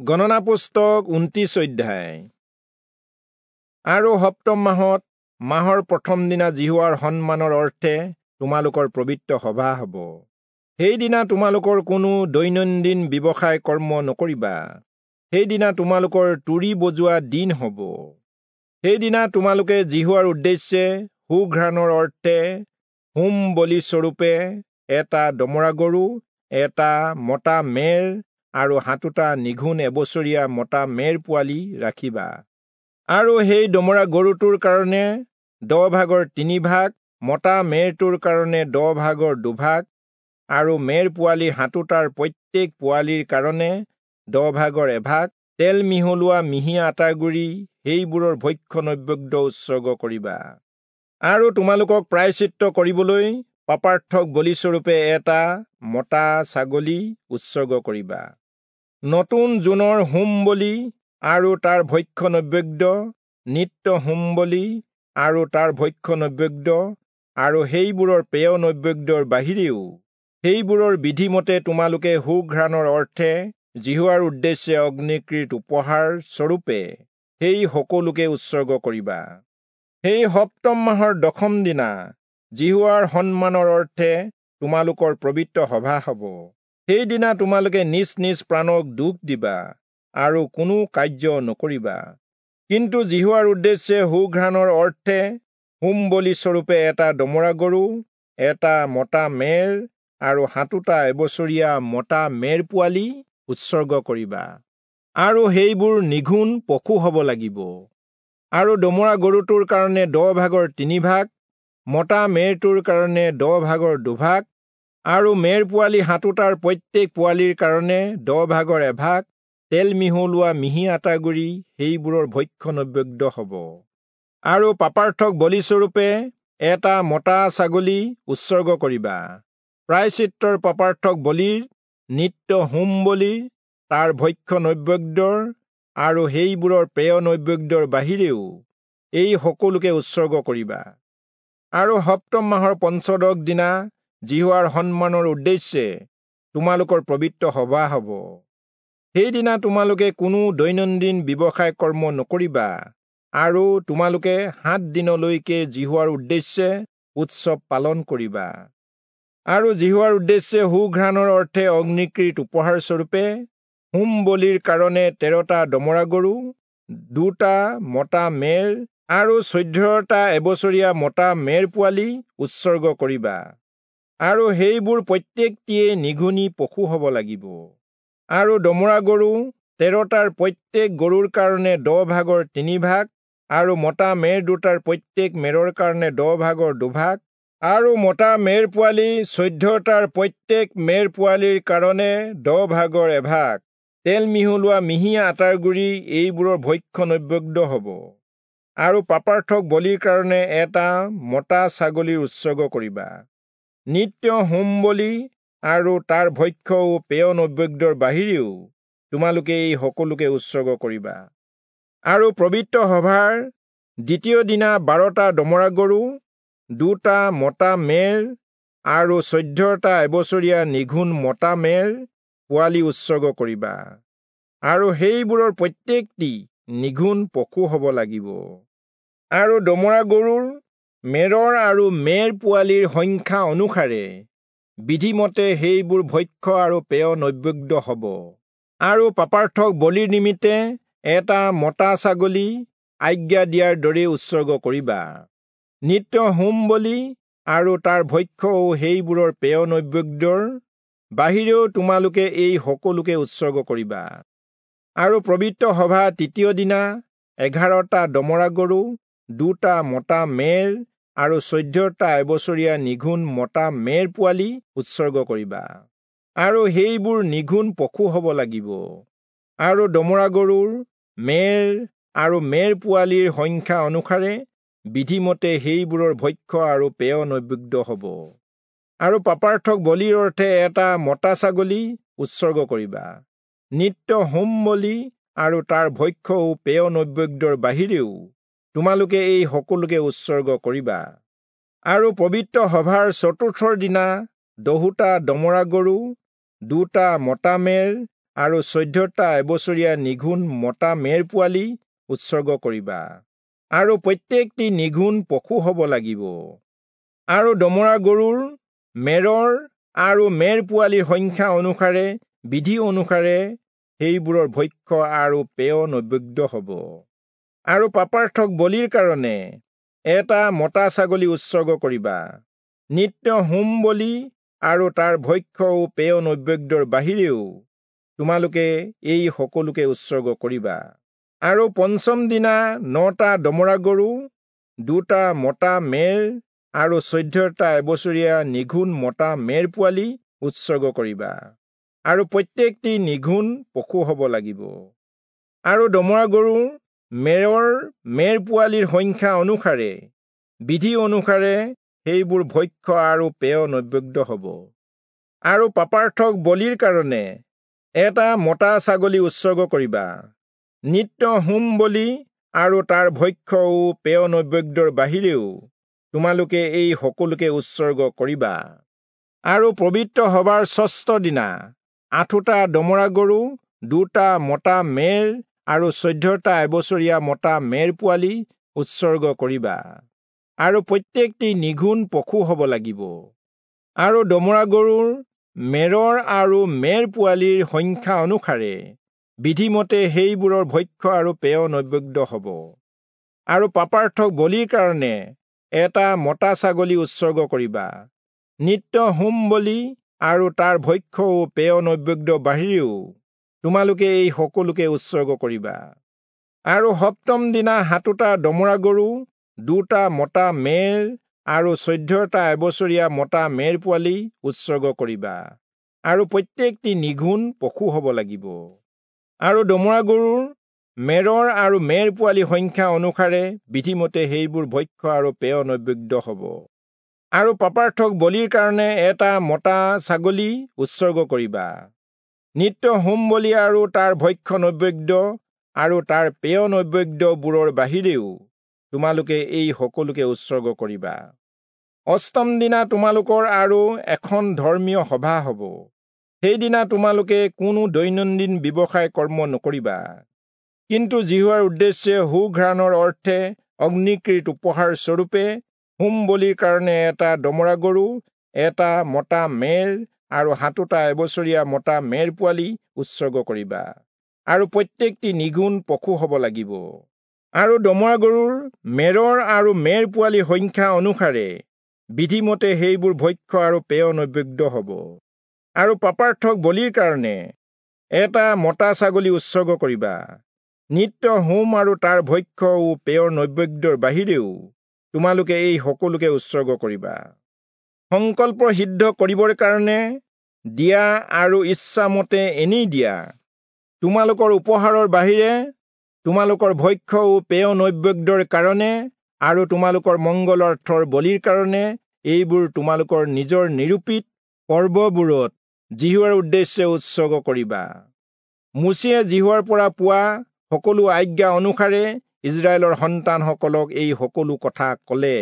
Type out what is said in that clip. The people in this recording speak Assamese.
গণনা পুস্তক 29 অধ্যায়। আৰু সপ্তম মাহত মাহৰ প্ৰথম দিনা যিহোৱাৰ সন্মানৰ অৰ্থে তোমালোকৰ পবিত্ৰ সভা হ'ব। সেইদিনা তোমালোকৰ কোনো দৈনন্দিন ব্যৱসায় কৰ্ম নকৰিবা। সেইদিনা তোমালোকৰ তুৰী বজোৱা দিন হ'ব। সেইদিনা তোমালোকে যিহোৱাৰ উদ্দেশ্যে সুঘ্ৰাণৰ অৰ্থে হোম বলিস্বৰূপে এটা দমৰা গৰু, এটা মতা মেৰ আৰু 7টা নিঘুণ এবছৰীয়া মতা মেৰ পোৱালি ৰাখিবা। আৰু সেই দমৰা গৰুটোৰ কাৰণে 10 ভাগৰ 3 ভাগ, মতা মেৰটোৰ কাৰণে 10 ভাগৰ 2 ভাগ, আৰু মেৰ পোৱালি 7টাৰ প্ৰত্যেক পোৱালিৰ কাৰণে 10 ভাগৰ 1 ভাগ তেল মিহলোৱা মিহি আটাগুড়ি সেইবোৰৰ ভক্ষ্য নৈবেদ্য উৎসৰ্গ কৰিবা। আৰু তোমালোকক প্ৰায়শ্চিত্ত কৰিবলৈ পাপাৰ্থক বলিস্বৰূপে এটা মতা ছাগলী উৎসৰ্গ কৰিবা। নতুন জোনৰ হোম বলি আৰু তাৰ ভক্ষ্য নৈবেদ্য, নিত্য হোম বলি আৰু তাৰ ভক্ষ্য নৈবেদ্য, আৰু সেইবোৰৰ পেয় নৈবেদ্যৰ বাহিৰেও সেইবোৰৰ বিধিমতে তোমালোকে সুঘ্ৰাণৰ অৰ্থে যিহোৱাৰ উদ্দেশ্যে অগ্নিকৃত উপহাৰ স্বৰূপে সেই সকলোকে উৎসৰ্গ কৰিবা। সেই সপ্তম মাহৰ 10ম দিনা যিহোৱাৰ সন্মানৰ অৰ্থে তোমালোকৰ পবিত্ৰ সভা হ'ব। সেইদিনা তোমালোকে নিজ নিজ প্ৰাণক দুখ দিবা আৰু কোনো কাৰ্য নকৰিবা। কিন্তু যিহোৱাৰ উদ্দেশ্যে সুঘ্ৰাণৰ অৰ্থে হোম বলিস্বৰূপে এটা দমৰা গৰু, এটা মতা মেৰ আৰু 7টা এবছৰীয়া মতা মেৰ পোৱালি উৎসৰ্গ কৰিবা। আৰু সেইবোৰ নিঘুণ পশু হ'ব লাগিব। আৰু দমৰা গৰুটোৰ কাৰণে 10 ভাগৰ 3 ভাগ, মতা মেৰটোৰ কাৰণে 10 ভাগৰ 2 ভাগ, আৰু মেৰ পোৱালি 7টাৰ প্ৰত্যেক পোৱালিৰ কাৰণে 10 ভাগৰ 1 ভাগ তেল মিহলোৱা মিহি আটাগুড়ি সেইবোৰৰ ভক্ষ্য নৈবেদ্য হ'ব। আৰু পাপাৰ্থক বলিস্বৰূপে এটা মতা ছাগলী উৎসৰ্গ কৰিবা। প্ৰায়শ্চিত্তৰ পাপাৰ্থক বলিৰ, নিত্য হোম বলিৰ, তাৰ ভক্ষ্য নৈবেদ্যৰ আৰু সেইবোৰৰ পেয় নৈবেদ্যৰ বাহিৰেও এই সকলোকে উৎসৰ্গ কৰিবা। আৰু সপ্তম মাহৰ 15 দিনা যিহোৱাৰ সন্মানৰ উদ্দেশ্যে তোমালোকৰ পবিত্ৰ সভা হ'ব। সেইদিনা তোমালোকে কোনো দৈনন্দিন ব্যৱসায় কৰ্ম নকৰিবা আৰু তোমালোকে 7 দিনলৈকে যিহোৱাৰ উদ্দেশ্যে উৎসৱ পালন কৰিবা। আৰু যিহোৱাৰ উদ্দেশ্যে সুঘ্ৰাণৰ অৰ্থে অগ্নিকৃত উপহাৰস্বৰূপে হোম বলিৰ কাৰণে 13টা দমৰা গৰু, 2টা মতা মেৰ আৰু 14টা এবছৰীয়া মতা মেৰ পোৱালি উৎসৰ্গ কৰিবা। আৰু সেইবোৰ প্ৰত্যেকটিয়ে নিঘুণী পশু হ'ব লাগিব। আৰু দমৰা গৰু 13টাৰ প্ৰত্যেক গৰুৰ কাৰণে 10 ভাগৰ 3 ভাগ, আৰু মতা মেৰ 2টাৰ প্ৰত্যেক মেৰৰ কাৰণে 10 ভাগৰ 2 ভাগ, আৰু মতা মেৰ পোৱালি 14টাৰ প্ৰত্যেক মেৰ পোৱালিৰ কাৰণে 10 ভাগৰ 1 ভাগ তেল মিহলোৱা মিহি আটাৰ গুড়ি এইবোৰৰ ভক্ষ্য নৈবেদ্য হ'ব। আৰু পাপাৰ্থক বলিৰ কাৰণে এটা মতা ছাগলীৰ উৎসৰ্গ কৰিবা। নিত্য হোম বলি আৰু তাৰ ভক্ষ্য ও পেয় নৈবেদ্যৰ বাহিৰেও তোমালোকে এই সকলোকে উৎসৰ্গ কৰিবা। আৰু পবিত্ৰ সভাৰ দ্বিতীয় দিনা 12টা দমৰা গৰু, 2টা মতা মেৰ আৰু 14টা এবছৰীয়া নিঘুণ মতা মেৰ পোৱালি উৎসৰ্গ কৰিবা। আৰু সেইবোৰৰ প্ৰত্যেকটি নিঘুণ পশু হ'ব লাগিব। আৰু দমৰা গৰুৰ, মেৰৰ আৰু মেৰ পোৱালিৰ সংখ্যা অনুসাৰে বিধিমতে সেইবোৰ ভক্ষ্য আৰু পেয় নৈবেদ্য হ'ব। আৰু পাপাৰ্থক বলিৰ নিমিত্তে এটা মতা ছাগলী আজ্ঞা দিয়াৰ দৰে উৎসৰ্গ কৰিবা। নিত্য হোম বলি আৰু তাৰ ভক্ষ্য ও সেইবোৰৰ পেয় নৈবেদ্যৰ বাহিৰেও তোমালোকে এই সকলোকে উৎসৰ্গ কৰিবা। আৰু পবিত্ৰ সভা তৃতীয় দিনা 11টা দমৰা গৰু, 2টা মতা মেৰ আৰু 14টা এবছৰীয়া নিঘুণ মতা মেৰ পোৱালি উৎসৰ্গ কৰিবা। আৰু সেইবোৰ নিঘুণ পশু হ'ব লাগিব। আৰু দমৰা গৰুৰ, মেৰ আৰু মেৰ পোৱালিৰ সংখ্যা অনুসাৰে বিধিমতে সেইবোৰৰ ভক্ষ্য আৰু পেয় নৈবেদ্য হ'ব। আৰু পাপাৰ্থক বলিৰ অৰ্থে এটা মতা ছাগলী উৎসৰ্গ কৰিবা। নিত্য হোম বলি আৰু তাৰ ভক্ষ্য ও পেয় নৈবেদ্যৰ বাহিৰেও তোমালোকে এই সকলোকে উৎসৰ্গ কৰিবা। আৰু পবিত্ৰ সভাৰ চতুৰ্থৰ দিনা 10টা দমৰা গৰু, 2টা মতা মেৰ আৰু 14টা এবছৰীয়া নিঘূণ মতা মেৰ পোৱালি উৎসৰ্গ কৰিবা, আৰু প্ৰত্যেকটি নিঘূণ পশু হ'ব লাগিব। আৰু দমৰা গৰুৰ, মেৰৰ আৰু মেৰ পোৱালিৰ সংখ্যা অনুসাৰে বিধি অনুসাৰে সেইবোৰৰ ভক্ষ্য আৰু পেয় নৈবেদ্য হ'ব। আৰু পাপাৰ্থক বলিৰ কাৰণে এটা মতা ছাগলী উৎসৰ্গ কৰিবা। নিত্য হোম বলি আৰু তাৰ ভক্ষ্য ও পেয় নৈবেদ্যৰ বাহিৰেও তোমালোকে এই সকলোকে উৎসৰ্গ কৰিবা। আৰু পঞ্চম দিনা 9টা দমৰা গৰু, 2টা মতা মেৰ আৰু 14টা এবছৰীয়া নিঘূণ মতা মেৰ পোৱালি উৎসৰ্গ কৰিবা, আৰু প্ৰত্যেকটি নিঘূণ পশু হ'ব লাগিব। আৰু দমৰা গৰু, মেৰৰ মেৰ পোৱালিৰ সংখ্যা অনুসাৰে বিধি অনুসাৰে সেইবোৰ ভক্ষ্য আৰু পেয় নৈবেদ্য হ'ব। আৰু পাপাৰ্থক বলিৰ কাৰণে এটা মতা ছাগলী উৎসৰ্গ কৰিবা। নিত্য হোম বলি আৰু তাৰ ভক্ষ্য ও পেয় নৈবেদ্যৰ বাহিৰেও তোমালোকে এই সকলোকে উৎসৰ্গ কৰিবা। আৰু পবিত্ৰ সভাৰ ষষ্ঠ দিনা 8টা দমৰা গৰু, 2টা মতা মেৰ আৰু 14টা এবছৰীয়া মতা মেৰ পোৱালি উৎসৰ্গ কৰিবা, আৰু প্ৰত্যেকটি নিঘূণ পশু হ'ব লাগিব। আৰু দমৰা গৰুৰ, মেৰৰ আৰু মেৰ পোৱালিৰ সংখ্যা অনুসাৰে বিধিমতে সেইবোৰৰ ভক্ষ্য আৰু পেয় নৈবেদ্য হ'ব। আৰু পাপাৰ্থক বলিৰ কাৰণে এটা মতা ছাগলী উৎসৰ্গ কৰিবা। নিত্য হোম বলি আৰু তাৰ ভক্ষ্য ও পেয় নৈবেদ্য বাহিৰেও তোমালোকে এই সকলোকে উৎসৰ্গ কৰিবা। আৰু সপ্তম দিনা 7টা দমৰা গৰু, 2টা মতা মেৰ আৰু 14টা এবছৰীয়া মতা মেৰ পোৱালি উৎসৰ্গ কৰিবা, আৰু প্ৰত্যেকটি নিঘূণ পশু হ'ব লাগিব। আৰু দমৰা গৰুৰ, মেৰৰ আৰু মেৰ পোৱালি সংখ্যা অনুসাৰে বিধিমতে সেইবোৰ ভক্ষ্য আৰু পেয় নৈবেদ্য হ'ব। আৰু পাপাৰ্থক বলিৰ কাৰণে এটা মতা ছাগলী উৎসৰ্গ কৰিবা। নিত্য হোম বলি আৰু তাৰ ভক্ষ্য নৈবেদ্য আৰু তাৰ পেয় নৈবেদ্যবোৰৰ বাহিৰেও তোমালোকে এই সকলোকে উৎসৰ্গ কৰিবা। অষ্টম দিনা তোমালোকৰ আৰু এখন ধৰ্মীয় সভা হ'ব। সেইদিনা তোমালোকে কোনো দৈনন্দিন ব্যৱসায় কৰ্ম নকৰিবা, কিন্তু যিহোৱাৰ উদ্দেশ্যে সুঘ্ৰাণৰ অৰ্থে অগ্নিকৃত উপহাৰ স্বৰূপে হোম বলিৰ কাৰণে এটা দমৰা গৰু, এটা মতা মেৰ আৰু 7টা এবছৰীয়া মতা মেৰ পোৱালি উৎসৰ্গ কৰিবা, আৰু প্ৰত্যেকটি নিঘূণ পশু হ'ব লাগিব। আৰু দমৰা গৰুৰ, মেৰৰ আৰু মেৰ পোৱালিৰ সংখ্যা অনুসাৰে বিধিমতে সেইবোৰ ভক্ষ্য আৰু পেয় নৈবেদ্য হ'ব। আৰু পাপাৰ্থক বলিৰ কাৰণে এটা মতা ছাগলী উৎসৰ্গ কৰিবা। নিত্য হোম আৰু তাৰ ভক্ষ্য ও পেয়ৰ নৈবেদ্যৰ বাহিৰেও তোমালোকে এই সকলোকে উৎসৰ্গ কৰিবা। সংকল্প সিদ্ধ কৰিবৰ কাৰণে দিয়া আৰু ইচ্ছামতে এনেই দিয়া তোমালোকৰ উপহাৰৰ বাহিৰে তোমালোকৰ ভক্ষ্য ও পেয় নৈবেদ্যৰ কাৰণে আৰু তোমালোকৰ মংগলাৰ্থৰ বলিৰ কাৰণে এইবোৰ তোমালোকৰ নিজৰ নিৰূপিত পৰ্ববোৰত যিহোৱাৰ উদ্দেশ্যে উৎসৰ্গ কৰিবা। মোচিয়ে যিহোৱাৰ পৰা পোৱা সকলো আজ্ঞা অনুসাৰে ইস্ৰায়েলৰ সন্তানসকলক এই সকলো কথা ক'লে।